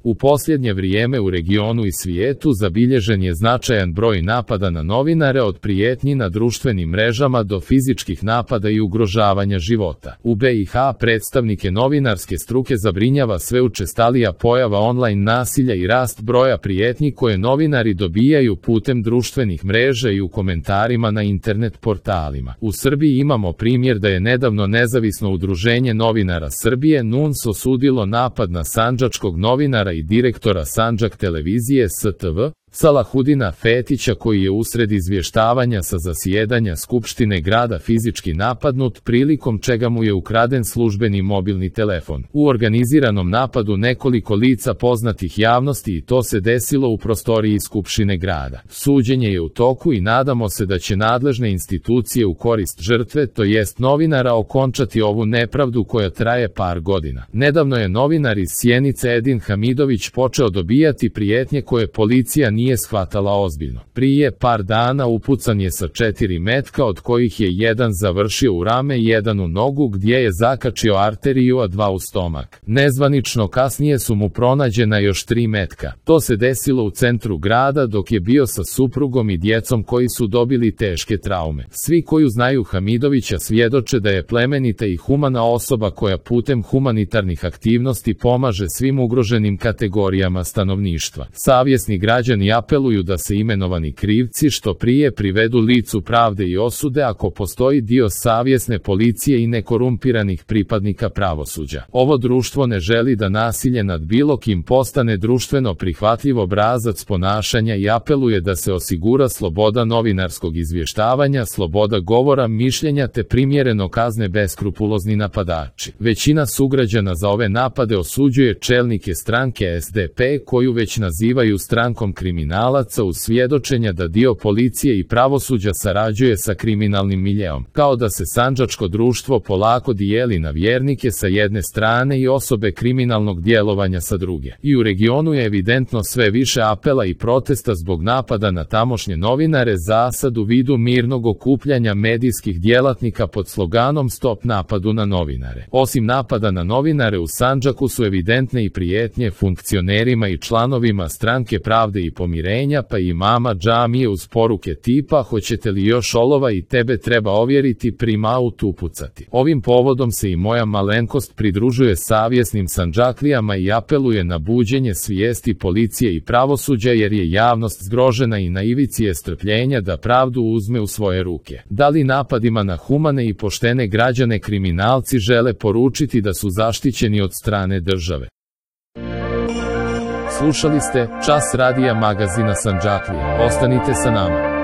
U posljednje vrijeme u regionu i svijetu zabilježen je značajan broj napada na novinare, od prijetnji na društvenim mrežama do fizičkih napada i ugrožavanja života. U BiH predstavnike novinarske struke zabrinjava sve učestalija pojava online nasilja i rast broja prijetnji koje novinari dobijaju putem društvenih mreža i u komentarima na internet portalima. U Srbiji imamo primjer da je nedavno Nezavisno udruženje novinara Srbije NUNS osudilo napad na sandžačkog novinara i direktora Sandžak televizije STV, Salahudina Fetića, koji je usred izvještavanja sa zasjedanja Skupštine grada fizički napadnut, prilikom čega mu je ukraden službeni mobilni telefon. U organiziranom napadu nekoliko lica poznatih javnosti, i to se desilo u prostoriji Skupštine grada. Suđenje je u toku i nadamo se da će nadležne institucije u korist žrtve, to jest novinara, okončati ovu nepravdu koja traje par godina. Nedavno je novinar iz Sjenice Edin Hamidović počeo dobijati prijetnje koje policija nije shvatala ozbiljno. Prije par dana upucan je sa 4 metka, od kojih je jedan završio u rame, jedan u nogu gdje je zakačio arteriju, a 2 u stomak. Nezvanično kasnije su mu pronađena još 3 metka. To se desilo u centru grada dok je bio sa suprugom i djecom koji su dobili teške traume. Svi koji znaju Hamidovića svjedoče da je plemenita i humana osoba koja putem humanitarnih aktivnosti pomaže svim ugroženim kategorijama stanovništva. Savjesni građani apeluju da se imenovani krivci što prije privedu licu pravde i osude ako postoji dio savjesne policije i nekorumpiranih pripadnika pravosuđa. Ovo društvo ne želi da nasilje nad bilo kim postane društveno prihvatljiv obrazac ponašanja i apeluje da se osigura sloboda novinarskog izvještavanja, sloboda govora, mišljenja te primjereno kazne beskrupulozni napadači. Većina sugrađana za ove napade osuđuje čelnike stranke SDP, koju već nazivaju strankom kriminalaca, uz svjedočenja da dio policije i pravosuđa sarađuje sa kriminalnim miljeom, kao da se sandžačko društvo polako dijeli na vjernike sa jedne strane i osobe kriminalnog djelovanja sa druge. I u regionu je evidentno sve više apela i protesta zbog napada na tamošnje novinare, zasad u vidu mirnog okupljanja medijskih djelatnika pod sloganom Stop napadu na novinare. Osim napada na novinare u Sandžaku su evidentne i prijetnje funkcionerima i članovima stranke Pravde i pomirenja, pa i imama džamije, uz poruke tipa hoćete li još olova i tebe treba ovjeriti, prim autu upucati. Ovim povodom se i moja malenkost pridružuje savjesnim Sandžaklijama i apeluje na buđenje svijesti policije i pravosuđa, jer je javnost zgrožena i na ivici je strpljenja da pravdu uzme u svoje ruke. Da li napadima na humane i poštene građane kriminalci žele poručiti da su zaštićeni od strane države? Slušali ste Čas radija magazina Sandžaklije. Ostanite sa nama.